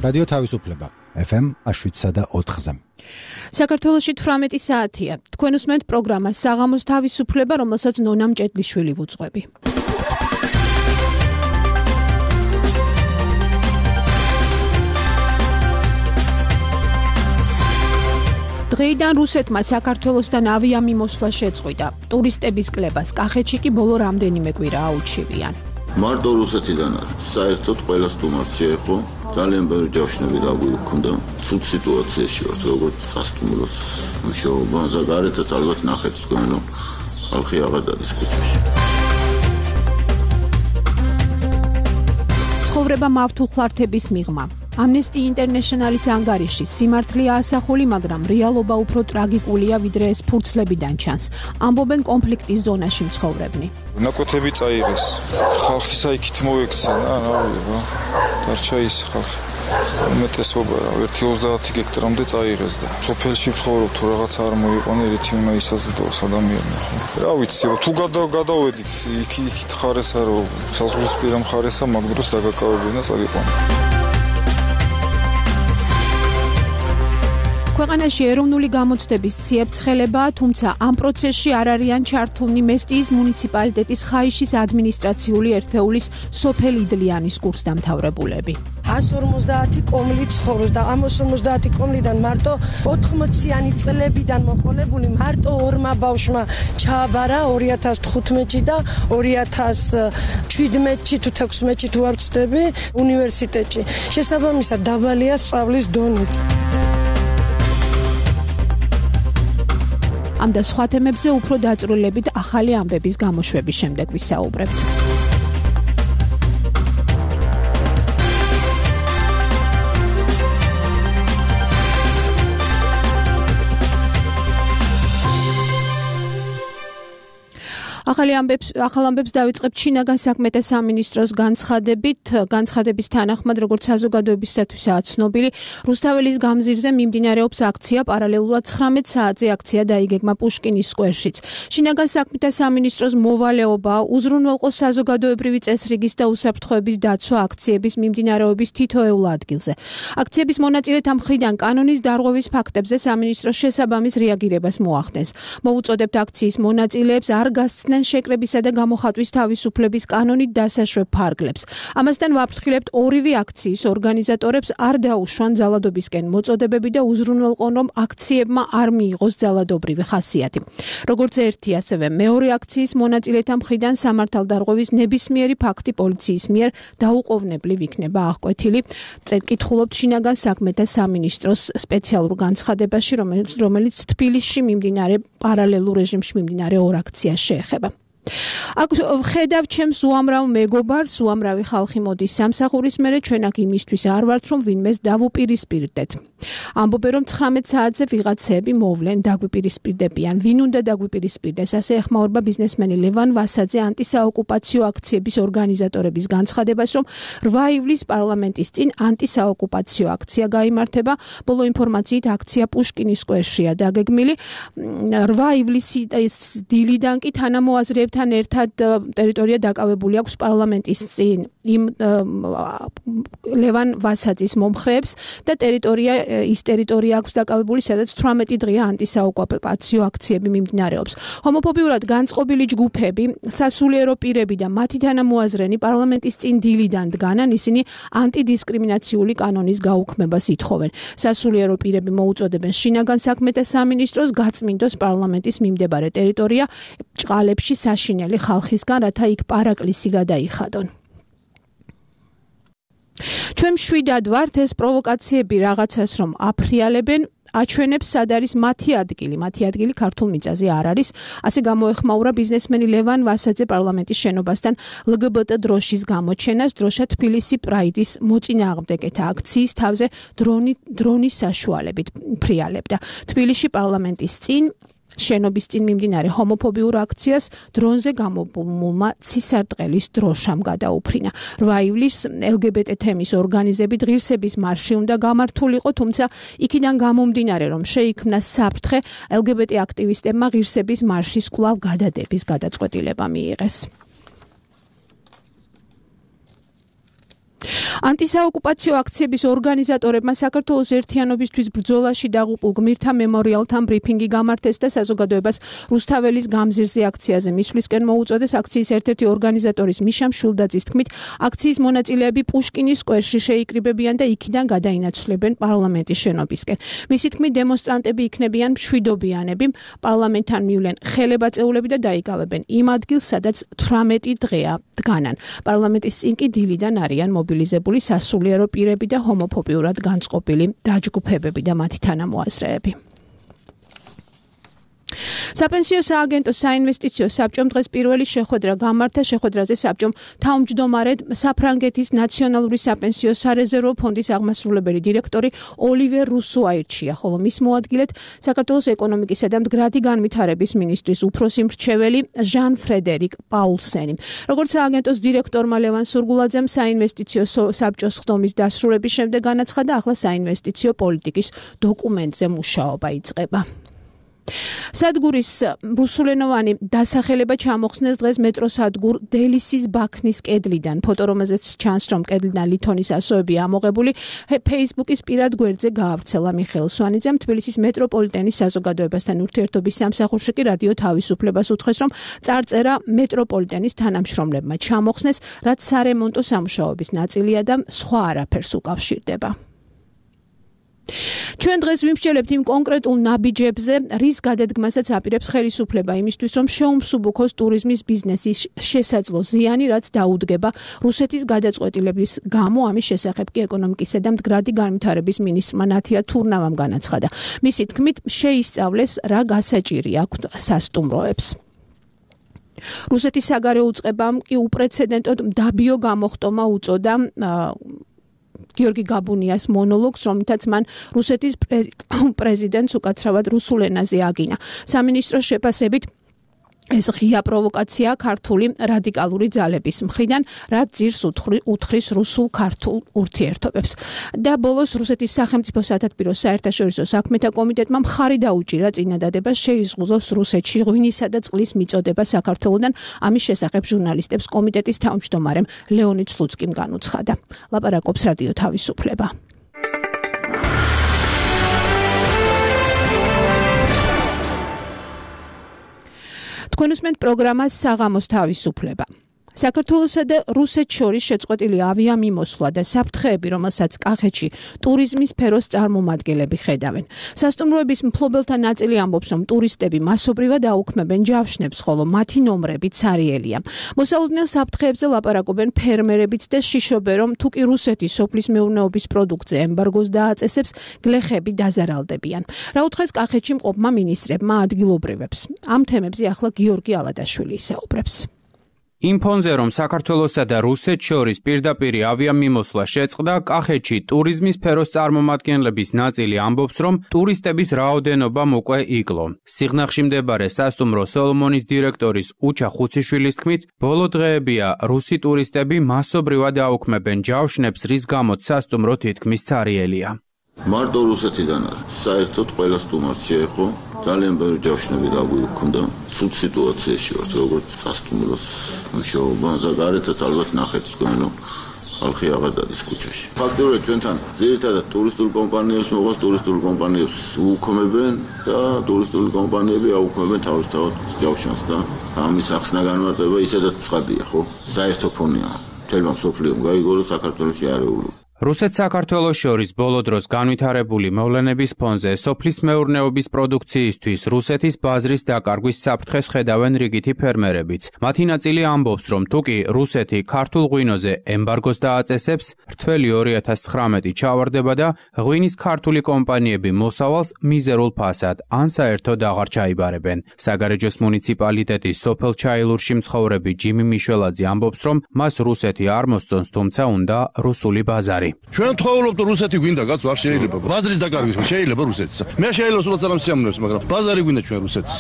რადიო თავისუფლება FM 7.4-ზე. საქართველოში 18 საათია. თქვენ უსმენთ პროგრამას საღამოს თავისუფლება, რომელსაც ნონა მჭედლიშვილი ვუძღვები. დღეიდან რუსეთმა საქართველოსთან ავიამიმოსვლა შეწყვიტა. ტურისტების კლებას კახეთში კი ბოლო რამდენიმე კვირა აუჩივიან. მარტო რუსეთიდან საერთოდ ყველა სტუმარს შეეხო ძალიან ბევრი ჯავშნები დაგვიქონდა. ცუდ სიტუაციაში ვართ, როგორც სასტუმროს მუშაობა და გარეთაც ალბათ ნახეთ თქვენ, რომ ხალხი აღარ დადის ქუჩაში. ცხოვრება მავთულხლართების მიღმა. Amnesty International-ის ანგარიში სიმართლეა ასახული, მაგრამ რეალობა უფრო ტრაგიკულია, ვიდრე ეს ფურცლებიდან ჩანს. ამბობენ კონფლიქტის ზონაში მცხოვრებნი. ნაკვეთები წაიღეს. ხალხი საიქით მოექცა, დარჩა ის ხალხი. უმეტესობა 1-30 გექტრამდე წაიღეს და სოფელში ცხოვრობ თუ რაღაც არ მოიყვანე, ერთი უნდა ისაზრდოს ადამიანი ხო. რა ვიცი, თუ გადავედით იქით ხარესა რომ საზღვრისპირა მხარესა მაგ დროს დაგაკავებინა და წავიყვანე. ქვეყანაში ეროვნული გამოცდების ციებ-ცხელებაა, თუმცა ამ პროცესში არ არიან ჩართულნი მესტიის მუნიციპალიტეტის ხაიშის ადმინისტრაციული ერთეულის სოფელ იდლიანის კურსდამთავრებულები. 150 კომლი ცხოვრობს და ამ 150 კომლიდან მარტო 80-იანი წლებიდან მოყოლებული მარტო ორმა ბავშვმა ჩააბარა 2015-ში და 2017-ში თუ 16-ში თუ არ ვცდები უნივერსიტეტში. შესაბამისად დაბალია სწავლის დონეც. ამ და სხვა თემებზე უფრო დაწვრილებით ახალი ამბების გამოშვების შემდეგ ვისაუბრებთ. ახალ ამბებს დავიწყებთ შინაგან საქმეთა სამინისტროს განცხადების თანახმად, როგორც საზოგადოებისთვისაა ცნობილი, რუსთაველის გამზირზე მიმდინარეობს აქცია, პარალელურად 19 საათზე აქცია დაიგეგმა პუშკინის სკვერშიც. შინაგან საქმეთა სამინისტროს მოვალეობა უზრუნველყოს საზოგადოებრივი წესრიგის და უსაფრთხოების დაცვა აქციების მიმდინარეობის თითოეულ ადგილზე. აქციების მონაწილეთა მხრიდან კანონის დარღვევის ფაქტებზე სამინისტროს შესაბამის რეაგირებას მოახდენს. მოუწოდებთ აქციის მონაწილეებს არ გასცდნენ შეკრებისა და გამოხატვის თავისუფლების კანონით დასაშვებ ფარგლებს. ამასთან ვაფრთხილებთ ორივე აქციის ორგანიზატორებს არ დაუშვან ძალადობისკენ მოწოდებები და უზრუნველყონ, რომ აქციებმა არ მიიღოს ძალადობრივი ხასიათი. როგორც ერთი, ასევე მეორე აქციის მონაწილეთა მხრიდან სამართალდარღვევის ნებისმიერი ფაქტი პოლიციის მიერ დაუყოვნებლივ იქნება აღკვეთილი. კითხულობთ შინაგან საქმეთა სამინისტროს სპეციალურ განცხადებაში, რომელიც თბილისში მიმდინარე პარალელურ რეჟიმში მიმდინარე ორ აქციას შეეხება. აქ ხედავ ჩემს უამრავ მეგობარს, უამრავი ხალხი მოდის სამსახურის მერე, ჩვენ აქ იმისთვის არ ვართ, რომ ვინმეს დავუპირისპირდეთ. ამბობენ, რომ 19 საათზე ვიღაცები მოვლენ, დაგვიპირისპირდებიან. ვინ უნდა დაგვიპირისპირდეს? ასე ეხმაურება ბიზნესმენი ლევან ვასაძე ანტისაოკუპაციო აქციების ორგანიზატორების განცხადებას, რომ 8 ივლისს პარლამენტის წინ ანტისაოკუპაციო აქცია გაიმართება. ბოლო ინფორმაციით აქცია პუშკინის სკვერშია დაგეგმილი. 8 ივლისის დილიდან კი თანამოაზრეებთან ერთად ტერიტორია დაკავებული აქვს პარლამენტის წინ იმ ლევან ვასაძის მომხრეებს და ის ტერიტორია აქვს დაკავებული, სადაც 18 დღეა ანტისაოკუპაციო აქციები მიმდინარეობს. ჰომოფობიურად განწყობილი ჯგუფები, სასულიერო პირები და მათი თანამოაზრენი პარლამენტის წინ დილიდან დგანან, ისინი ანტიდისკრიმინაციული კანონის გაუქმებას ითხოვენ. სასულიერო პირები მოუწოდებენ შინაგან საქმეთა სამინისტროს გაწმინდოს პარლამენტის მიმდებარე ტერიტორია ჭყალებში საშინელი ხალხისგან, რათა იქ პარაკლისი გადაიხადონ. ჩვენ მშვიდად ვართ, ეს პროვოკაციები რაღაცას რომ აფრიალებენ, აჩვენებს სად არის მათი ადგილი ქართულ მიწაზე არ არის. ასე გამოეხმაურა ბიზნესმენი ლევან ვასაძე პარლამენტის შენობასთან LGBT დროშის გამოჩენას, დროშა თბილისი პრაიდის მოწინააღმდეგეთა აქციის თავზე დრონის საშუალებით ფრიალებდა. თბილისში პარლამენტის წინ შენობის წინ მიმდინარე ჰომოფობიურ აქციას დრონზე გამობმულმა ცისარტყელის დროშამ გადაუფრინა. 8 ივლისს LGBT თემის ორგანიზებით ღირსების მარში უნდა გამართულიყო, თუმცა იქიდან გამომდინარე, რომ შეიქმნა საფრთხე, LGBT აქტივისტებმა ღირსების მარშის კვლავ გადადების გადაწყვეტილება მიიღეს. ანტისაოკუპაციო აქციების ორგანიზატორებმა საქართველოს ერთიანობისთვის ბრძოლაში დაღუპულ გმირთა მემორიალთან ბრიფინგი გამართეს და საზოგადოებას რუსთაველის გამზირზე აქციაზე მისვლისკენ მოუწოდეს. აქციის ერთ-ერთი ორგანიზატორის მიშა მშვილდაძის თქმით, აქციის მონაწილეები პუშკინის სკვერში შეიკრიბებიან და იქიდან გადაინაცვლებენ პარლამენტის შენობისკენ. მისი თქმით, დემონსტრანტები იქნებიან მშვიდობიანები, პარლამენტთან მივლენ ხელებაწეულები და დაიკავებენ იმ ადგილს, სადაც 18 დღეა დგანან. პარლამენტის წინ კი დილიდან არიან მობილიზებული სასულიერო პირები და ჰომოფობიურად განწყობილი დაჯგუფებები და მათი თანამოაზრეები. საპენსიო სააგენტო საინვესტიციო საბჭომ დღეს პირველი შეხვედრა გამართა. შეხვედრაზე საბჭომ თავმჯდომარედ საფრანგეთის ნაციონალური საპენსიო სარეზერვო ფონდის აღმასრულებელი დირექტორი ოლივერ რუსო აირჩია, ხოლო მის მოადგილედ საქართველოს ეკონომიკისა და მდგრადი განვითარების მინისტრის უფროსი მრჩეველი ჟან ფრედერიკ პაულსენი. როგორც სააგენტოს დირექტორმა ლევან სურგულაძემ საინვესტიციო საბჭოს ხდომის დასრულების შემდეგ განაცხადა, ახლა საინვესტიციო პოლიტიკის დოკუმენტზე მუშაობა იწყება. სადგურის რუსულენოვანი დასახელება ჩამოხსნეს დღეს მეტროსადგურ დელისის ბაქნის კედლიდან. ფოტო, რომელზეც ჩანს, რომ კედლიდან ლითონის ასოები ამოღებული, Facebook-ის პირად გვერდზე გაავრცელა. მიხეილ სვანიძემ თბილისის მეტროპოლიტენის საზოგადოებასთან ურთიერთობის სამსახურში კი რადიო თავისუფლებას უთხრეს, რომ წარწერა მეტროპოლიტენის თანამშრომლებმა ჩამოხსნეს, რაც სარემონტო სამუშაოების ნაწილია და სხვა არაფერს უკავშირდება. ჩვენ დღეს ვიმსჯელებთ იმ კონკრეტულ ნაბიჯებზე, რის გადადგმასაც აპირებს ხელისუფლება იმისთვის, რომ შეუმსუბუქოს ტურიზმის ბიზნესის შესაძლო ზიანი, რაც დაუდგება რუსეთის გადაწყვეტილების გამო. ამის შესახებ კი ეკონომიკისა და მდგრადი განვითარების მინისტრმა ნათია თურნავამ განაცხადა. მისი თქმით, შეისწავლეს რა გასაჭირი აქვს სასტუმროებს. რუსეთის საგარეო უწყებამ კი უპრეცედენტოდ მდაბიო გამოხტომა უწოდა გიორგი გაბუნიას მონოლოგს, რომლითაც მან რუსეთის პრეზიდენტს უკაცრავად რუსულ ენაზე აგინა. სამინისტროს შეფასებით ეს ღია პროვოკაცია ქართული რადიკალური ძალების მხრიდან, რაც ძირს უთხრის რუსულ-ქართულ ურთიერთობებს. და ბოლოს რუსეთის სახელმწიფო სათათბირო საერთაშორისო საქმეთა კომიტეტმა მხარი დაუჭირა წინადადებას შეიზღუდოს რუსეთში ღვინისა და წყლის მიწოდება საქართველოდან. ამის შესახებ ჟურნალისტებს კომიტეტის თავმჯდომარემ ლეონიდ სლუცკიმ განუცხადა. ლაპარაკობს რადიო თავისუფლება. თქვენ უსმენთ პროგრამას საღამოს თავისუფლება. საქართველოსა და რუსეთს შორის შეწყვეტილი ავიამიმოსვლა და საფრთხეები, რომელსაც კახეთში ტურიზმის სფეროს წარმომადგენლები ხედავენ. სასტუმროების მფლობელთა ნაწილი ამბობს, რომ ტურისტები მასობრივად აუქმებენ ჯავშნებს, ხოლო მათი ნომრები ცარიელია. მოსალოდნელ საფრთხეებზე ლაპარაკობენ ფერმერებიც და შიშობენ, რომ თუ კი რუსეთი სოფლის მეურნეობის პროდუქტზე ემბარგოს დააწესებს, გლეხები დაზარალდებიან. რა უთხრეს კახეთში მყოფმა მინისტრებმა ადგილობრივებს. ამ თემებზე ახლა გიორგი ალადაშვილი ისაუბრებს. იმ ფონზე, რომ საქართველოსა და რუსეთს შორის პირდაპირი ავიამიმოსვლა შეწყდა, კახეთში ტურიზმის სფეროს წარმომადგენლების ნაწილი ამბობს, რომ ტურისტების რაოდენობამ უკვე იკლო. სიღნაღში მდებარე სასტუმრო სოლომონის დირექტორის უჩა ხუციშვილის თქმით, ბოლო დღეებია რუსი ტურისტები მასობრივად აუქმებენ ჯავშნებს, რის გამოც სასტუმრო თითქმის ცარიელია. მარტო რუსეთიდან საერთოდ ყველა სტუმარს შეეხო ძალიან ბევრი ჯავშნები გაგვიქონდა. ცუდ სიტუაციაში ვართ, როგორც სასტუმროს მუშაობა და გარეთაც ალბათ ნახეთ თქვენ, რომ ხალხი აღარ დადის ქუჩაში. ფაქტობრივად ჩვენთან ძირითადად ტურისტულ კომპანიებს მოყავს, ტურისტულ კომპანიებს უქმებენ და ტურისტული კომპანიები აუქმებენ თავისთავად ჯავშანს და ამის ახსნა განმარტება ისედაც ცხადია, ხო? საერთო ფონია. თელმა სოფლიომ გაიგო, საქართველოში არეულობა. რუსეთ-საქართველოს შორის ბოლო დროს განვითარებული მოვლენების ფონზე სოფლის მეურნეობის პროდუქციისთვის რუსეთის ბაზრის დაკარგვის საფრთხეს ხედავენ რიგითი ფერმერებიც. მათი ნაწილი ამბობს, რომ თუკი რუსეთი ქართულ ღვინოზე ემბარგოს დააწესებს, რთველი 2019 ჩავარდება და ღვინის ქართული კომპანიები მოსავალს მიზერულ ფასად ან საერთოდ აღარ ჩაიბარებენ. საგარეჯოს მუნიციპალიტეტის სოფელ ჩაილურში მცხოვრები ჯიმი მიშველაძე ამბობს, რომ მას რუსეთი არ მოსწონს, თუმცა უნდა რუსული ბაზარი. ჩვენ თხოვობთ რუსეთი გვინდა კაც არ შეიძლება ბაზრის დაკარგვის შეიძლება რუსეთს მე შეიძლება სულაც არ ამსიამოვნებს მაგრამ ბაზარი გვინდა ჩვენ რუსეთს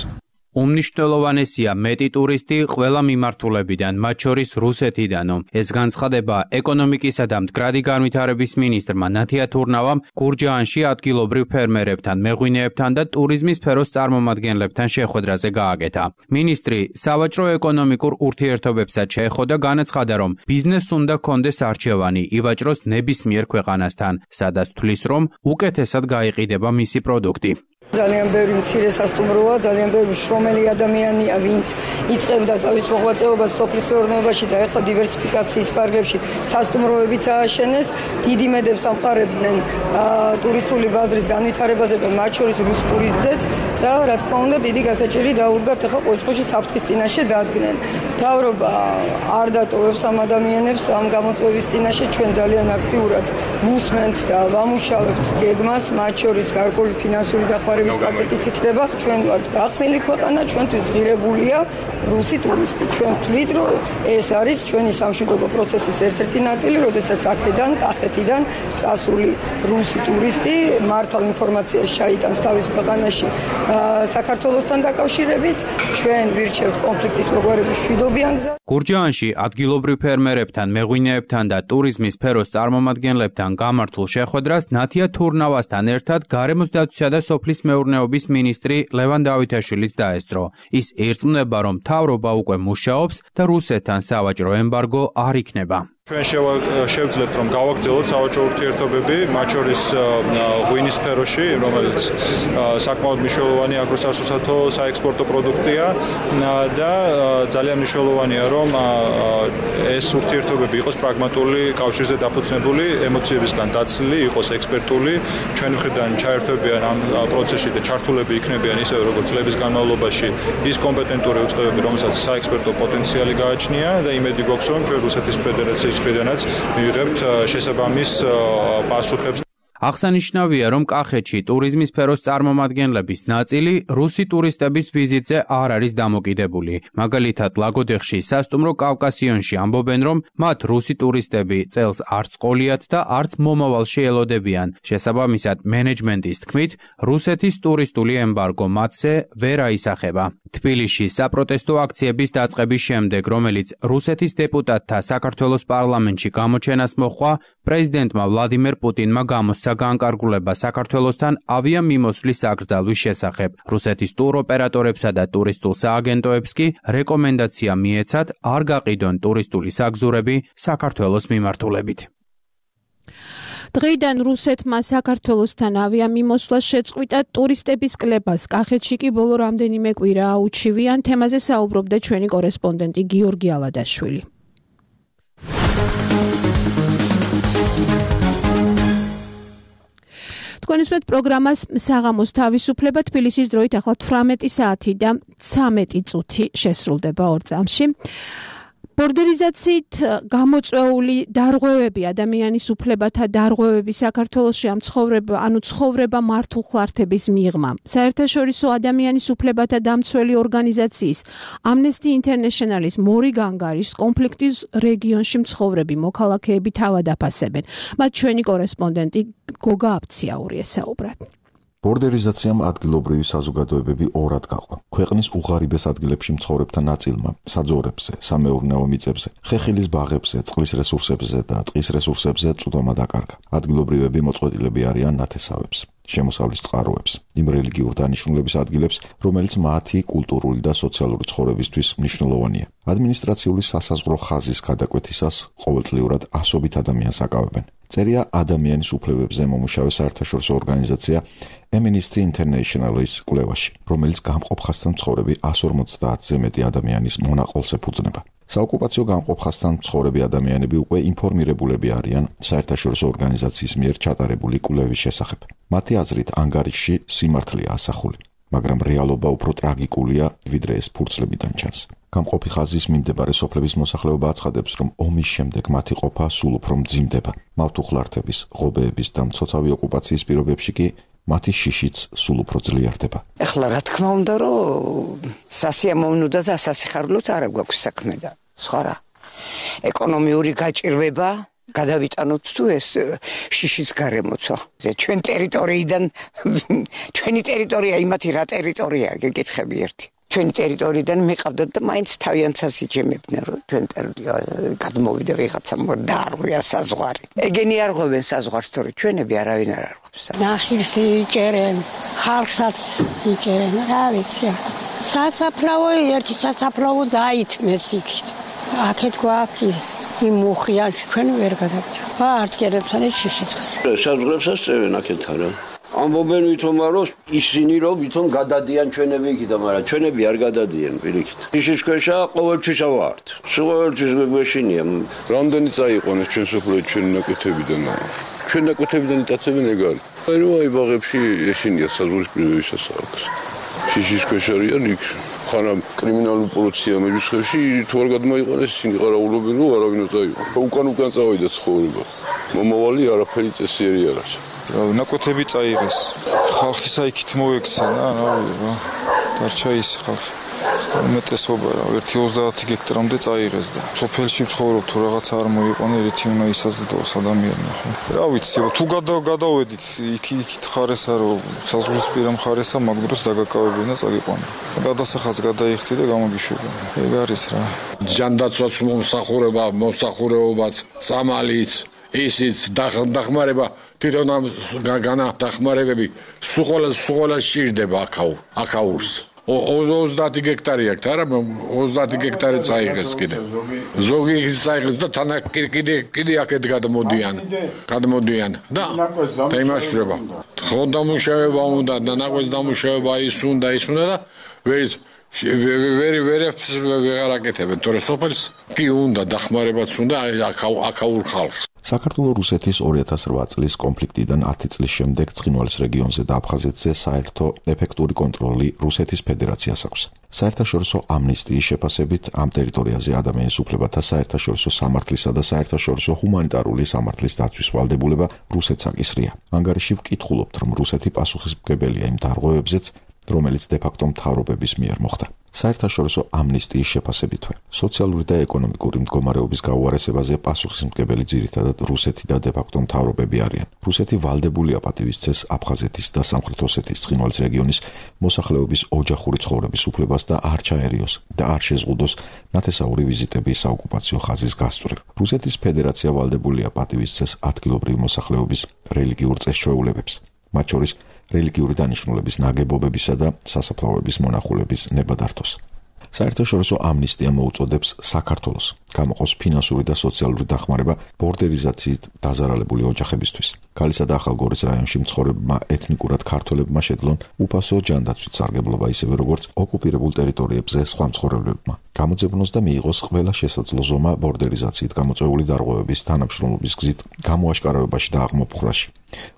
უმნიშვნელოვანესია მეტი ტურისტი ყველა მიმართულებიდან, მათ შორის რუსეთიდანო. ეს განცხადება ეკონომიკისა და მდგრადი განვითარების მინისტრმა ნათია თურნავამ გურჯაანში ადგილობრივ ფერმერებთან, მეღვინეებთან და ტურიზმის სფეროს წარმომადგენლებთან შეხვედრაზე გააკეთა. მინისტრი სავაჭრო ეკონომიკურ ურთიერთობებსაც შეეხო და განაცხადა, რომ ბიზნესს უნდა ჰქონდეს არჩევანი ივაჭროს ნებისმიერ ქვეყანასთან, სადაც თვლის, რომ უკეთესად გაიყიდება მისი პროდუქტი. ძალიან ბევრი მცირე სასტუმროა, ძალიან ბევრი შრომელი ადამიანია, ვინც იწყებდა თავის მოღვაწეობას სოფლის მეურნეობაში და ეხლა დივერსიფიკაციის ფარგლებში სასტუმროებიც ააშენეს. დიდი მედებს ამყარებდნენ ტურისტული ბაზრის განვითარებაზე და მათ შორის რუს ტურისტზეც და რა თქმა უნდა დიდი გასაჭირი დაუდგათ ეხლა ყოველში საფრთხის წინაშე დადგნენ. მთავრობა არ დატოვებს ამ ადამიანებს ამ გამოწვევის წინაშე, ჩვენ ძალიან აქტიურად ვუსმენთ და ვამუშავებთ გეგმას, მათ შორის გარკვეული ფინანსური დახმარება პაკეტიც იქნება. ჩვენ ვართ გახსნილი ქვეყანა, ჩვენთვის ღირებულია რუსი ტურისტი. ჩვენ ვთვლით, რომ ეს არის ჩვენი სამშვიდობო პროცესის ერთ-ერთი ნაწილი, როდესაც აქედან, კახეთიდან წასული რუსი ტურისტი მართალ ინფორმაციას ჩაიტანს თავის ქვეყანაში საქართველოსთან დაკავშირებით. ჩვენ ვირჩევთ კონფლიქტის მოგვარების მშვიდობიან გზას. გურჯაანში ადგილობრივ ფერმერებთან, მეღვინეებთან და ტურიზმის სფეროს წარმომადგენლებთან გამართულ შეხვედრას ნათია თურნავასთან ერთად გარემოს დაცვისა და სოფლის მეურნეობის მინისტრი ლევან დავითაშვილიც დაესწრო. ის ირწმუნება, რომ მთავრობა უკვე მუშაობს და რუსეთთან სავაჭრო ემბარგო არ იქნება. ჩვენ შევძლებთ, რომ გავაგრძელოთ სავაჭრო ურთიერთობები, მათ შორის ღვინის სფეროში, რომელიც საკმაოდ მნიშვნელოვანი აგროსასუსათო საექსპორტო პროდუქტია და ძალიან მნიშვნელოვანია, რომ ეს ურთიერთობები იყოს პრაგმატული, კავშირზე დაფუძნებული, ემოციებისგან დაცლილი, იყოს ექსპერტული. ჩვენ მხრიდან ჩაერთვებიან ამ პროცესში და ჩართულები იქნებიან ისე როგორც წლების განმავლობაში ის კომპეტენტური უწყებები, რომელსაც საექსპერტო პოტენციალი გააჩნია და იმედი გვაქვს, რომ ჩვენ რუსეთის ფედერაციის მხრიდანაც მივიღებთ შესაბამის პასუხებს. აღსანიშნავია, რომ კახეთში ტურიზმის სფეროს წარმომადგენლების ნაწილი რუსი ტურისტების ვიზიტზე არ არის დამოკიდებული. მაგალითად, ლაგოდეხში სასტუმრო კავკასიონში ამბობენ, რომ მათ რუსი ტურისტები წელს არც ყოლიათ და არც მომავალში ელოდებიან. შესაბამისად, მენეჯმენტის თქმით, რუსეთის ტურისტული ემბარგო მათზე ვერ აისახება. თბილისში საპროტესტო აქციების დაწყების შემდეგ, რომელიც რუსეთის დეპუტატთა საქართველოს პარლამენტში გამოჩენას მოჰყვა, პრეზიდენტმა ვლადიმერ პუტინმა გამოსცა განკარგულება საქართველოსთან ავიამიმოსვლის აკრძალვის შესახებ. რუსეთის ტუროპერატორებსა და ტურისტულ სააგენტოებს კი რეკომენდაცია მიეცათ არ გაყიდონ ტურისტული საგზურები საქართველოს მიმართულებით. დღეიდან რუსეთმა საქართველოსთან ავიამიმოსვლას შეწყვიტა, ტურისტების კლებას კახეთში კი ბოლო რამდენიმე კვირა აუჩივიან. თემაზე საუბრობდა ჩვენი კორესპონდენტი გიორგი ალადაშვილი. თქვენისმეთ პროგრამას საღამოს თავისუფლება თბილისის დროით ახლა 18 საათი და 13 წუთი შესრულდება 2 წამში. ბორდერიზაციით გამოწვეული დარღვევები, ადამიანის უფლებათა დარღვევები საქართველოში ამ ცხოვრება მართულ ხლართების მიღმა. საერთაშორისო ადამიანის უფლებათა დამცველი ორგანიზაციის Amnesty International-ის მორი განგარის კონფლიქტის რეგიონში მცხოვრები მოქალაქეები თავად აფასებენ. მათ ჩვენი კორესპონდენტი გოგა აბციაური ესაუბრათ. ბორდერიზაციამ ადგილობრივი საზოგადოებები ორად გაყვა. ქვეყნის უღარიბეს ადგილებში მცხოვრებთა ნაწილმა საძოვრებზე, სამეურნეო მიწებზე, ხეხილის ბაღებზე, წყლის რესურსებზე და ტყის რესურსებზე წვდომა დაკარგა. ადგილობრივები მოწყვეტილები არიან ნათესავებს, შემოსავლის წყაროებს, იმ რელიგიურ დანიშნულების ადგილებს, რომელიც მათი კულტურული და სოციალური ცხოვრებისთვის მნიშვნელოვანია. ადმინისტრაციული სასაზღვრო ხაზის გადაკვეთისას ყოველწლიურად ასობით ადამიანს აკავებენ. წერია ადამიანის უფლებებზე მომუშავე საერთაშორისო ორგანიზაცია Amnesty International-ის კვლევაში, რომელიც გამყოფ ხაზთან მცხოვრები 150-ზე მეტი ადამიანის მონაყოლს ეფუძნება. საოკუპაციო გამყოფ ხაზთან მცხოვრები ადამიანები უკვე ინფორმირებულები არიან საერთაშორისო ორგანიზაციის მიერ ჩატარებული კვლევის შესახებ. მათი აზრით, ანგარიშში სიმართლეა ასახული, მაგრამ რეალობა უფრო ტრაგიკულია, ვიდრე ეს ფურცლებიდან ჩანს. გამყოფი ხაზის მიმდებარე სოფლების მოსახლეობა აცხადებს, რომ ომის შემდეგ მათი ყოფა სულ უფრო მძიმდება. მავთუხლართების, ღობეების და მცოცავი ოკუპაციის პირობებში კი მათი შიშიც სულ უფრო ძლიერდება. ეხლა რა თქმა უნდა, რომ სასიამოვნო და სასიხარლოდ არ გვაქვს საქმე და სხვა რა. ეკონომიური გაჭირვება გადავიტანოთ თუ ეს შიშის გარემოცვა. ჩვენ ტერიტორიიდან ჩვენი ტერიტორია იმათი რა ტერიტორიაა, გეკითხები ერთი. ჩვენი ტერიტორიიდან მიყავდათ და მაინც თავიანთს იჯემებდნენ რომ ჩვენ გადმოვიდა ვიღაცა დაარღვია საზღვარი. ეგენი არ ღვევენ საზღვარს, თორე ჩვენები არავინ არ არღვევს. ნახირს იჭერენ, ხალხსაც იჭერენ, რა ვიცი. სასაფლაო ერთი სასაფლაო დაითმეს იქით. აქეთ გვაქვს იმ მუხიანში ჩვენ ვერ გადაგჭა. არტკერებს არის შიშიც. საზღვრებსაც წევენ აქეთ არა. ამბობენ ვითომ რომ ისინი რომ ვითომ გადადიან ჩვენები იქით, მაგრამ ჩვენები არ გადადიან პირიქით. შიშის ქვეშა ყოველთვის ვართ. ყოველთვის გვეშინია. რამდენი წაიყვანეს ჩვენ სოფლო ჩვენ ნაკეთებიდან. ჩვენ ნაკეთებიდან იტაცებენ ეგ არის. აი ბაღებში ეშინია საზღვრის პირობისას აქვს. შიშის ქვეშ არიან იქ. ხარა კრიმინალური პოლიცია მედიცხებში თუ არ გადმოიყანეს ისინი ყარაულობენ რომ არავინ წაიყვანოს. უკან წავიდა ცხოვრება. მომავალი არაფერი წესიერი არ არის. ნაკვეთები წაიღეს. ხალხი საიქით მოექცა რა დარჩა ის ხალხი. უმეტესობა 1-30 გექტრამდე წაიღეს და სოფელში ცხოვრობ თუ რაღაც არ მოიყვანე ერთი უნდა ისაზრდოს ადამიანი ხო. რა ვიცი, თუ გადავედით იქით ხარესა რომ საზღვრისპირა მხარესა მაგ დროს დაგაკავებენ და წაგიყვანენ. გადასახადს გადაიხდი და გამოგიშვებენ. ეგ არის რა. ჯანდაცვაც მომსახურებაც, წამალიც ისიც დახმარება თვითონ ამ განადახმარებები სულ სჭირდება აქაურს 30 გექტარი აქვს არა 30 გექტარი წაიღეს კიდე ზოგი წაიღეს და თან კიდე აქეთ გადმოდიან და იმაშრება ხონდა მუშაობა უნდა და ნაკვეთ დამუშავება ის უნდა და ვერ აკეთებენ თორე სოფელს კი უნდა დახმარებაც უნდა აქაურ ხალხს საქართველოს რუსეთის 2008 წლის კონფლიქტიდან 10 წლის შემდეგ ცხინვალის რეგიონზე და აფხაზეთზე საერთო ეფექტური კონტროლი რუსეთის ფედერაციას აქვს. საერთაშორისო ამნისტიის შეფასებით ამ ტერიტორიაზე ადამიანის უფლებათა საერთაშორისო სამართლისა და საერთაშორისო ჰუმანიტარული სამართლის დაცვის ვალდებულება რუსეთს აკისრია. ანგარიში ვკითხულობთ, რომ რუსეთი პასუხისმგებელია იმ დარღვევებზეც, რომელიც დე-ფაქტო მთავრობების მიერ მოხდა. საერთაშორისო ამნისტიის შეფასებითვე, სოციალური და ეკონომიკური მდგომარეობის გაუარესებაზე პასუხისმგებელი ძირითადად რუსეთი და დე-ფაქტო მთავრობები არიან. რუსეთი ვალდებულია პატივისცეს აფხაზეთის და სამხრეთ ოსეთის ცხინვალის რეგიონის მოსახლეობის ოჯახური ცხოვრების უფლებას და არ ჩაერიოს და არ შეზღუდოს ნათესაური ვიზიტები საოკუპაციო ხაზის გასწვრივ. რუსეთის ფედერაცია ვალდებულია პატივისცეს ადგილობრივი მოსახლეობის რელიგიურ წესჩვეულებებს, მათ შორის რელიგიური დანიშნულების ნაგებობებისა და სასაფლაოების მონახულების ნებადართოს. საერთაშორისო ამნისტია მოუწოდებს საქართველოს გამოყოს ფინანსური და სოციალური დახმარება ბორდერიზაციით დაზარალებული ოჯახებისთვის. ქალისა და ახალგორის რაიონში მცხოვრებმა ეთნიკურად ქართველებმა შეძლონ უფასო ჯანდაცვით სარგებლობა ისევე როგორც ოკუპირებულ ტერიტორიებზე სხვა მცხოვრებლებმა. გამოძებნოს და მიიღოს ყველა შესაძლო ზომა ბორდერიზაციით გამოწვეული დარღვევების თანამშრომლობის გზით გამოაშკარავებაში და აღმოფხვრაში.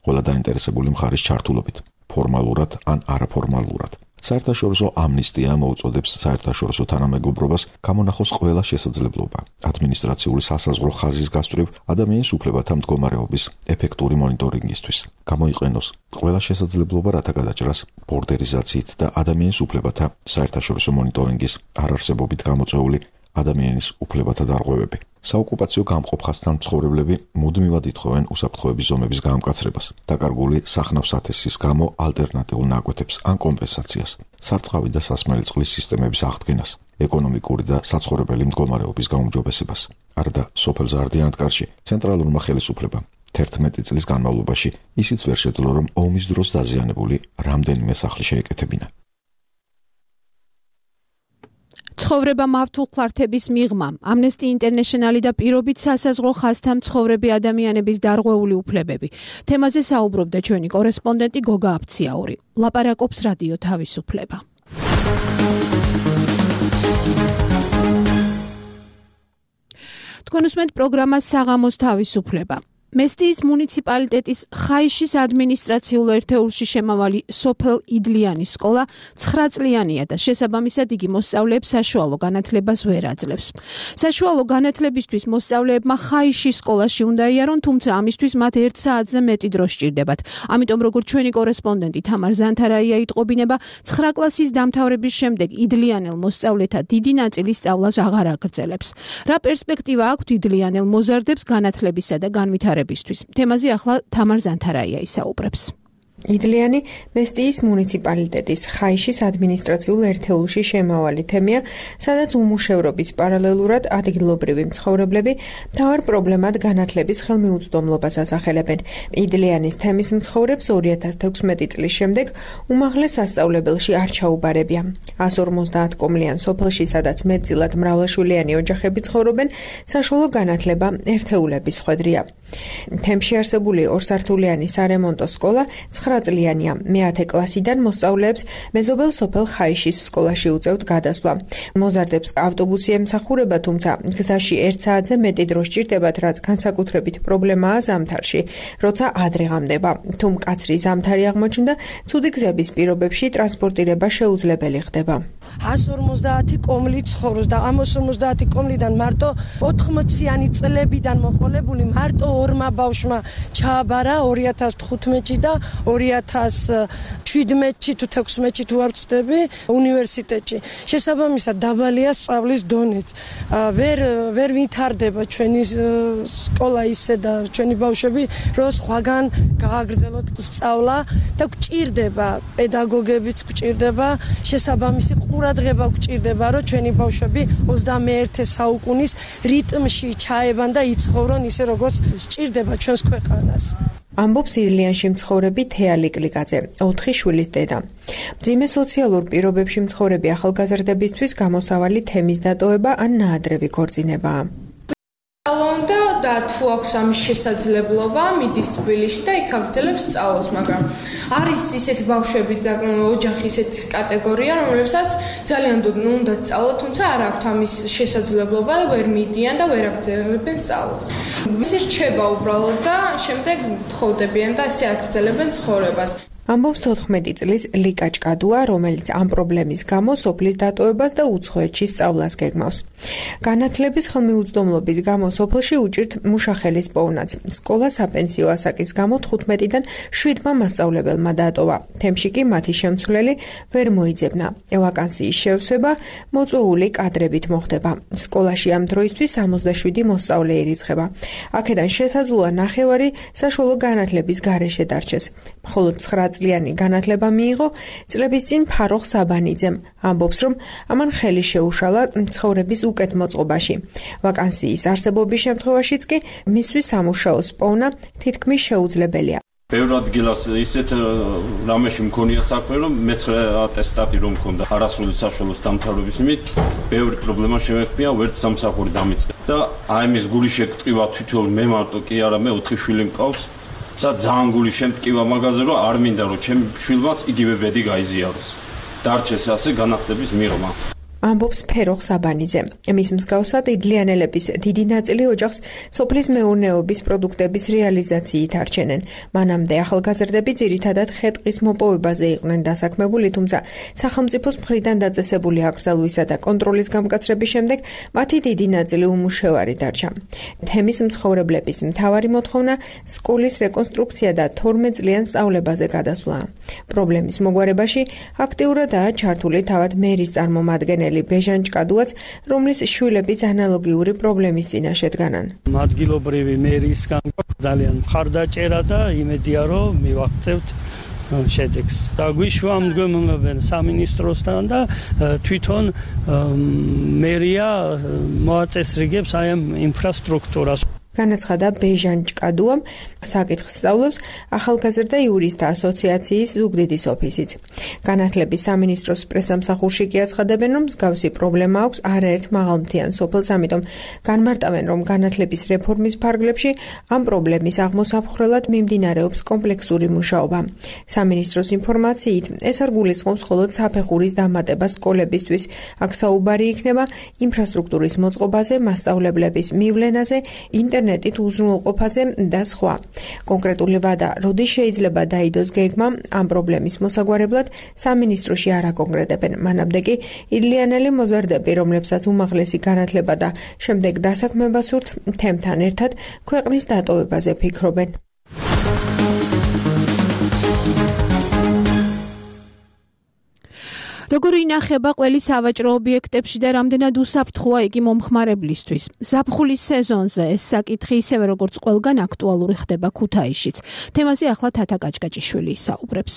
ყველა დაინტერესებული მხარის ჩართულობით, ფორმალურად ან არაფორმალურად. საერთაშორისო ამნისტია მოუწოდებს საერთაშორისო თანამეგობრობას გამონახოს ყველა შესაძლებლობა ადმინისტრაციული სასაზღვრო ხაზის გასწვრივ ადამიანის უფლებათა მდგომარეობის ეფექტური მონიტორინგისთვის. გამოიყენოს ყველა შესაძლებლობა რათა გადაჭრას ბორდერიზაციით და ადამიანის უფლებათა საერთაშორისო მონიტორინგის არარსებობით გამოწვეული ადამიანის უფლებათა დარღვევები. საოკუპაციო გამყოფხასთან მცხოვრებლები მუდმივად ითხოვენ უსაფრთხოების ზომების გაამკაცრებას, დაკარგული სახნავ-სათესის გამო ალტერნატიულ ნაკვეთებს ან კომპენსაციას, სარწყავი და სასმელი წყლის სისტემების აღდგენას, ეკონომიკური და საცხოვრებელი მდგომარეობის გაუმჯობესებას. არადა სოფელ ზარდიანთკარში ცენტრალურმა ხელისუფლებამ 11 წლის განმავლობაში ისიც ვერ შეძლო, რომ ომის დროს დაზიანებული რამდენიმე სახლი შეეკეთებინა. ცხოვრება მავთულხლართების მიღმა, Amnesty International და პირობით სასაზღვრო ხაზთან მცხოვრები ადამიანების დარღვეული უფლებები. თემაზე საუბრობდა ჩვენი კორესპონდენტი გოგა აფციაური. ლაპარაკობს რადიო თავისუფლება. თქვენ უსმენთ პროგრამას საღამოს თავისუფლება. მესტიის მუნიციპალიტეტის ხაიშის ადმინისტრაციულ ერთეულში შემავალი სოფელ იდლიანის სკოლა 9 წლიანია და შესაბამისად იგი მოსწავლეებს საშუალო განათლებას ვერ აძლევს. საშუალო განათლებისთვის მოსწავლეებმა ხაიშის სკოლაში უნდა იარონ, თუმცა ამისთვის მათ 1 საათზე მეტი დრო სჭირდებათ. ამიტომ როგორც ჩვენი კორესპონდენტი თამარ ზანთარაია იტყობინება, 9 კლასის დამთავრების შემდეგ იდლიანელ მოსწავლეთა დიდი ნაწილი სწავლას აღარ აგრძელებს. რა პერსპექტივა აქვთ იდლიანელ მოზარდებს განათლებისა და განვითარებისთვის? თემაზე ახლა თამარ ზანთარაია ისაუბრებს. იდლიანი მესტიის მუნიციპალიტეტის ხაიშის ადმინისტრაციულ ერთეულში შემავალი თემია, სადაც უმუშევრობის პარალელურად ადგილობრივი მცხოვრებლები მთავარ პრობლემად განათლების ხელმიუწვდომლობას ასახელებენ. იდლიანის თემის მცხოვრებს 2016 წლის შემდეგ უმაღლეს სასწავლებელში არ ჩაუბარებია. 150 კომლიან სოფელში, სადაც მეტწილად მრავალშვილიანი ოჯახები ცხოვრობენ, საშუალო განათლება ერთეულების ხვედრია. თემში არსებული ორსართულიანი სარემონტო სკოლა 9 წლიანია. მე-10 კლასიდან მოსწავლეებს მეზობელ სოფელ ხაიშის სკოლაში უწევთ გადასვლა. მოზარდებს ავტობუსი ემსახურება, თუმცა გზაში 1 საათზე მეტი დრო სჭირდებათ, რაც განსაკუთრებით პრობლემაა ზამთარში, როცა ადრეღამდება. თუ მკაცრი ზამთარი აღმოჩნდა, ცუდი გზების პირობებში ტრანსპორტირება შეუძლებელი ხდება. 150 კომლი ცხოვრობს და ამ 150 კომლიდან მარტო 80-იანი წლებიდან მოყოლებული მარტო ორმა ბავშვმა ჩააბარა 2015-ში და 2017-ში თუ 16-ში თუ არ ვცდები უნივერსიტეტში. შესაბამისად დაბალია სწავლის დონეც. ვერ ვითარდება ჩვენი სკოლა ისე და ჩვენი ბავშვები რომ სხვაგან გააგრძელოთ სწავლა და გვჭირდება პედაგოგებიც გვჭირდება შესაბამისი ყურადღება გვჭირდება რომ ჩვენი ბავშვები 21 საუკუნის რიტმში ჩაებან და იცხოვრონ ისე როგორც სჭირდება ჩვენს ქვეყანას. ამბობს იდლიანში მცხოვრები თეალი კლიკაძე, 4 შვილის დედა. მძიმე სოციალურ პირობებში მცხოვრები ახალგაზრდებისთვის გამოსავალი თემის დატოვება ან ნაადრევი ქორწინებაა. და თუ აქვს ამის შესაძლებლობა, მიდის თბილისში და იქ აგრძელებს სწავლას, მაგრამ არის ისეთი ბავშვები და ოჯახი ისეთი კატეგორია, რომლებსაც ძალიან უნდა სწავლოთ, თუმცა არ აქვთ ამის შესაძლებლობა, ვერ მიდიან და ვერ აგრძელებენ სწავლას. ისე რჩება უბრალოდ და შემდეგ თხოვდებიან და ასე აგრძელებენ ცხოვრებას. ამბობს 14 წლის ლიკა ჭკადუა, რომელიც ამ პრობლემის გამო სოფლის დატოვებას და უცხოეთში სწავლას გეგმავს. განათლების ხელმიუწვდომლობის გამო სოფელში უჭირთ მუშახელის პოვნაც. სკოლა საპენსიო ასაკის გამო 15-დან 7-მა მასწავლებელმა დატოვა. თემში კი მათი შემცვლელი ვერ მოიძებნა. ვაკანსიის შევსება მოწვეული კადრებით მოხდება. სკოლაში ამ დროისთვის 67 მოსწავლე ირიცხება. აქედან შესაძლოა 9 საშუალო განათლების გარეშე დარჩეს. მხოლოდ 9 წლიანი განათლება მიიღო წლების წინ ფაროხ საბანიძემ. ამბობს, რომ ამან ხელი შეუშალა ცხოვრების უკეთ მოწყობაში. ვაკანსიის არსებობის შემთხვევაშიც კი მისთვის სამუშაოს პოვნა თითქმის შეუძლებელია. ბევრ ადგილას ისეთ რამეში მქონია საქმე, რომ მე-9 ატესტატი რომ მქონდა არასრული საშუალოს დამთავრების იმით, ბევრი პრობლემა შემექმნია, ვერც სამსახური დამიწყე. და აი მის გული შეგტყივა თვითონ მე მარტო კი არა, მე 4 შვილი მყავს. და ძალიან გული შემტკივა მაგაზე, რომ არ მინდა რომ ჩემი შვილმაც იგივე ბედი გაიზიაროს. დარჩეს ასე განათლების მიღმა. ამბობს ფეროხ საბანიძე. მის მსგავსად იდლიანელების დიდი ნაწილი ოჯახს სოფლის მეურნეობის პროდუქტების რეალიზაციით არჩენენ. მანამდე ახალგაზრდები ძირითადად ხე-ტყის მოპოვებაზე იყვნენ დასაქმებული, თუმცა სახელმწიფოს მხრიდან დაწესებული აკრძალვისა და კონტროლის გამკაცრების შემდეგ მათი დიდი ნაწილი უმუშევარი დარჩა. თემის მცხოვრებლების მთავარი მოთხოვნა სკოლის რეკონსტრუქცია და 12 წლიან სწავლებაზე გადასვლაა. პრობლემის მოგვარებაში აქტიურადაა ჩართული თავად მერის წარმომადგენელი ბეჟან ჭკადუაც, რომლის შვილებიც ანალოგიური პრობლემის წინაშე დგანან. ადგილობრივი მერისგან ძალიან მხარდაჭერა და იმედია, რომ მივაღწევთ შედეგს. და გვიშვამდგომლობენ სამინისტროსთან და თვითონ მერია მოაწესრიგებს აი ამ ინფრასტრუქტურას. განაცხადა ბეჟან ჭკადუამ, საკითხს სწავლობს ახალგაზრდა იურისტთა ასოციაციის ზუგდიდის ოფისიც. განათლების სამინისტროს პრესამსახურში კი აცხადებენ, რომ მსგავსი პრობლემა აქვს არაერთ მაღალმთიან სოფელს, ამიტომ განმარტავენ, რომ განათლების რეფორმის ფარგლებში ამ პრობლემის აღმოსაფხრელად მიმდინარეობს კომპლექსური მუშაობა. სამინისტროს ინფორმაციით, ეს არ გულისხმობს მხოლოდ საფეხურის დამატებას სკოლებისთვის, აქ საუბარი იქნება ინფრასტრუქტურის მოწყობაზე, მასწავლებლების მივლენაზე, ინტერნეტით უზრუნველყოფაზე და სხვა. კონკრეტული ვადა, როდის შეიძლება დაიდოს გეგმა ამ პრობლემის მოსაგვარებლად, სამინისტროში არ აკონკრეტებენ. მანამდე კი იდლიანელი მოზარდები, რომლებსაც უმაღლესი განათლება და შემდეგ დასაქმება სურთ, თემთან ერთად ქვეყნის დატოვებაზე ფიქრობენ. როგორი ინახება ყველი სავაჭრო ობიექტებში და რამდენად უსაფრთხოა იგი მომხმარებლისთვის? ზაფხულის სეზონზე ეს საკითხი ისევე როგორც ყველგან აქტუალური ხდება ქუთაისშიც. თემაზე ახლა თათა კაჭკაჭიშვილი ისაუბრებს.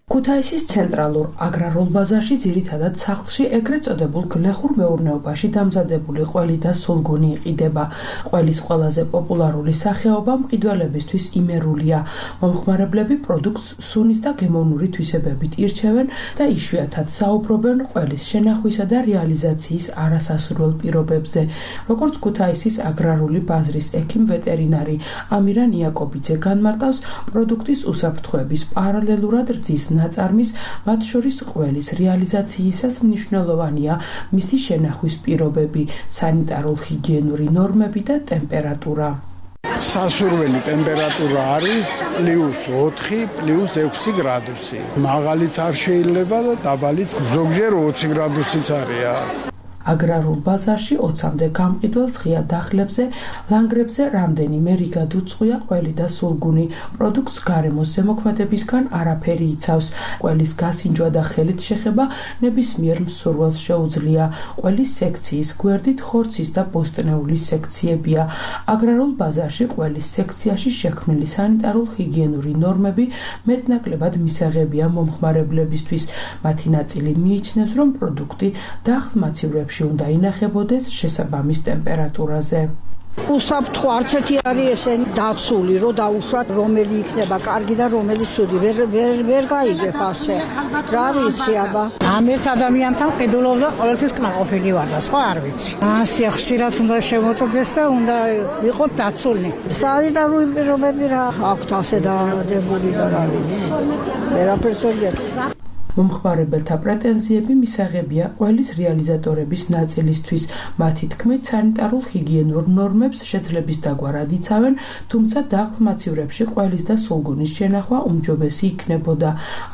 ქუთაისის ცენტრალურ აგრარულ ბაზარში ძირითადად სახლში ეგრეთ წოდებულ გლეხურ მეურნეობაში დამზადებული ყველი და სულგუნი იყიდება. ყველის ყველაზე პოპულარული სახეობა მყიდველებისთვის იმერულია. მომხმარებლები პროდუქტს სუნის და გემოვნური თვისებებით ირჩევენ და იშვიათად საუბრობენ ყველის შენახვისა და რეალიზაციის არასასურველ პირობებზე. როგორც ქუთაისის აგრარული ბაზრის ექიმ-ვეტერინარი ამირან იაკობიძე განმარტავს, პროდუქტის უსაფრთხოების პარალელურად რძის ნაწარმის, მათ შორის ყველის რეალიზაციისას მნიშვნელოვანია მისი შენახვის პირობები, სანიტარულ-ჰიგიენური ნორმები და ტემპერატურა. სასურველი ტემპერატურა არის +4, +6 გრადუსი. მაღალიც არ შეიძლება და დაბალიც ზოგჯერ 20 გრადუსიც არის. აგრარულ ბაზარში 20-მდე გამყიდველს ღია დახლებზე, ლანგრებზე რამდენიმე რიგად უწყვია ყველი და სულგუნი. პროდუქტს გარემოს ზემოქმედებისგან არაფერი იცავს. ყველის გასინჯვა და ხელით შეხება ნებისმიერ მსურველს შეუძლია. ყველის სექციის გვერდით ხორცის და ბოსტნეულის სექციებია. აგრარულ ბაზარში ყველის სექციაში შექმნილი სანიტარულ-ჰიგიენური ნორმები მეტნაკლებად მისაღებია მომხმარებლებისთვის. მათი ნაწილი მიიჩნევს, რომ პროდუქტი დახლმაცივრებში უნდა ინახებოდეს შესაბამის ტემპერატურაზე. უსაფრთხო არც ერთი არის ესე დაცული, რომ დაუშვათ რომელი იქნება კარგი და რომელი ცუდი. ვერ გაიგებ ასე. რა ვიცი აბა. ამ ერთ ადამიანთან ყიდულობდა ყოველთვის კმაყოფილი ვარ და სხვა არ ვიცი. ასე ხშირად უნდა შემოწდეს და უნდა იყოს დაცული. სანიტარული პირობები რა აქვთ ასე დადებული და რა ვიცი. ვერაფერს ვერ გეტყვი. მომხმარებელთა პრეტენზიები მისაღებია ყველის რეალიზატორების ნაწილისთვის. მათი თქმით, სანიტარულ-ჰიგიენურ ნორმებს შეძლების დაგვარად იცავენ, თუმცა დახლმაცივრებში ყველის და სულგუნის შენახვა უმჯობესი იქნებოდა.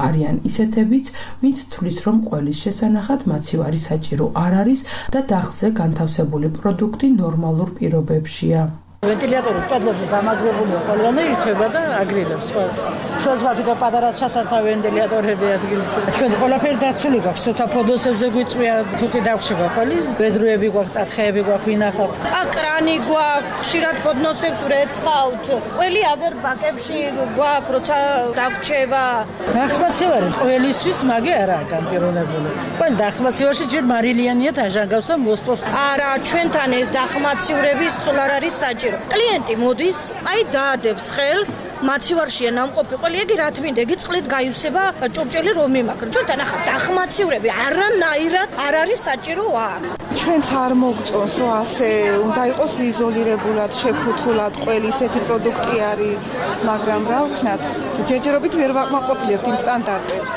არიან ისეთებიც, ვინც თვლის, რომ ყველის შესანახად მაცივარი საჭირო არ არის და დახლზე განთავსებული პროდუქტი ნორმალურ პირობებშია. ვენტილატორი კედლებზე დამაგრებულია ყველგან ირთვება და აგრილებს ყველს. ჩვენს მაგითო პატარა ჩასართა ვენტილატორები ადგილს. ჩვენ ყველაფერი დაცული გვაქვს, ცოტა ფოდოსებზე გვიწვია, თუკი დაგვრჩება ყველი, ბედრუები გვაქვს, წათხეები გვაქვს, ვინახავთ. კრანი გვაქვს, ხშირად ფოდნოსებს ვრეცხავთ. ყველი აგერ ბაკებში გვაქვს, როცა დაგვრჩება. დახმაცივარი ყველისთვის მაგე არაა განპირობებული. ყველ დახმაცივარში ჯერ მარილიანია დაჟანგავს და მოსპობს. არა, ჩვენთან ეს დახმაცივრები სულ არ არის საჭირო. კლიენტი მოდის, აი დაადებს ხელს, მაცივარშია ნამყოფი ყველი, იგი რა თმინდა, იგი წყლით გაივსება, ჭურჭელი რომ იმაქრა. ჩვენთან ახლა დახმაცივრები არანაირად არ არის საჭირო არ. ჩვენც არ მოგწონს, რომ ასე უნდა იყოს იზოლირებულად, შეფუთულად ყველი ისეთი პროდუქტი არის, მაგრამ რა ვქნათ, ჯერჯერობით ვერ ვაკმაყოფილებთ იმ სტანდარტებს.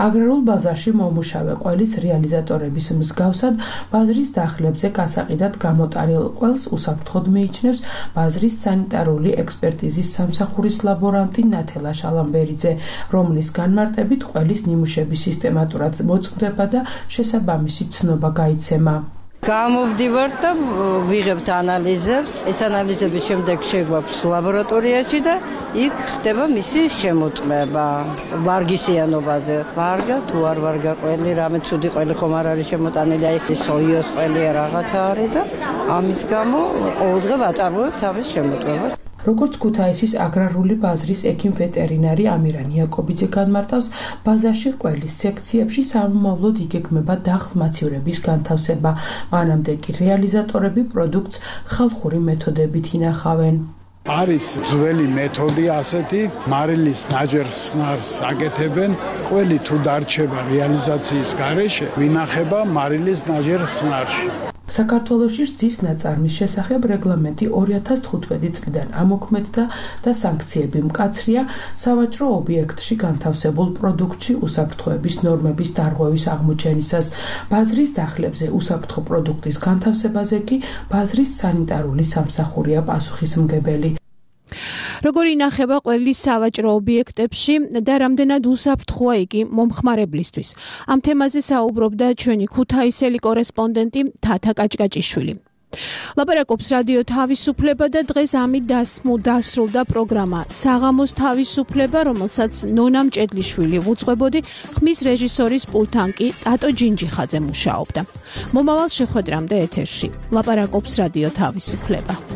აგრარულ ბაზარში მომუშავე ყველის რეალიზატორების მსგავსად ბაზრის დახლებზე გასაყიდად გამოტარილ ყველს უსაფრთხოდ მიიჩნევს ბაზრის სანიტარული ექსპერტიზის სამსახურის ლაბორანტი ნათელა შალამბერიძე, რომლის განმარტებით ყველის ნიმუშების სისტემატურად მოწმდება და შესაბამისი ცნობა გაიცემა. გამოვდივართ და ვიღებთ ანალიზებს. ეს ანალიზების შემდეგ შეგვაქვს ლაბორატორიაში და იქ ხდება მისი შემოწმება ვარგისიანობაზე. ვარგა თუ არ ვარგა ყველი, რამე ცუდი ყველი ხომ არ არის შემოტანილი, აი სოიოს ყველი რაღაცა არის და ამის გამო ყოველდღე ვაწარმოებ თავის შემოწმებას. როგორც ქუთაისის აგრარული ბაზრის ექიმ-ვეტერინარი ამირან იაკობიძე განმარტავს, ბაზარში ყველის სექციებში სამომავლოდ იგეგმება დახლმაცივრების განთავსება, მანამდე კი რეალიზატორები პროდუქტს ხალხური მეთოდებით ინახავენ. არის ძველი მეთოდი ასეთი, მარილის ნაჯერ-სნარს აკეთებენ, ყველი თუ დარჩება რეალიზაციის გარეშე, ვინახება მარილის ნაჯერ-სნარში. საქართველოში რძის ნაწარმის შესახებ რეგლამენტი 2015 წლიდან ამოქმედდა და სანქციები მკაცრია სავაჭრო ობიექტში განთავსებულ პროდუქტში უსაფრთხოების ნორმების დარღვევის აღმოჩენისას. ბაზრის დახლებზე უსაფრთხო პროდუქტის განთავსებაზე კი ბაზრის სანიტარული სამსახურია პასუხისმგებელი. როგორი ინახება ყველის სავაჭრო ობიექტებში და რამდენად უსაფრთხოა იგი მომხმარებლისთვის. ამ თემაზე საუბრობდა ჩვენი ქუთაისელი კორესპონდენტი თათა კაჭკაჭიშვილი. ლაპარაკობს რადიო თავისუფლება და დღეს ამით დასრულდა პროგრამა საღამოს თავისუფლება, რომელსაც ნონა მჭედლიშვილი უძღვებოდი, ხმის რეჟისორის პულტთან კი ტატო ჯინჯიხაძე მუშაობდა. მომავალ შეხვედრამდე ეთერში ლაპარაკობს რადიო თავისუფლება.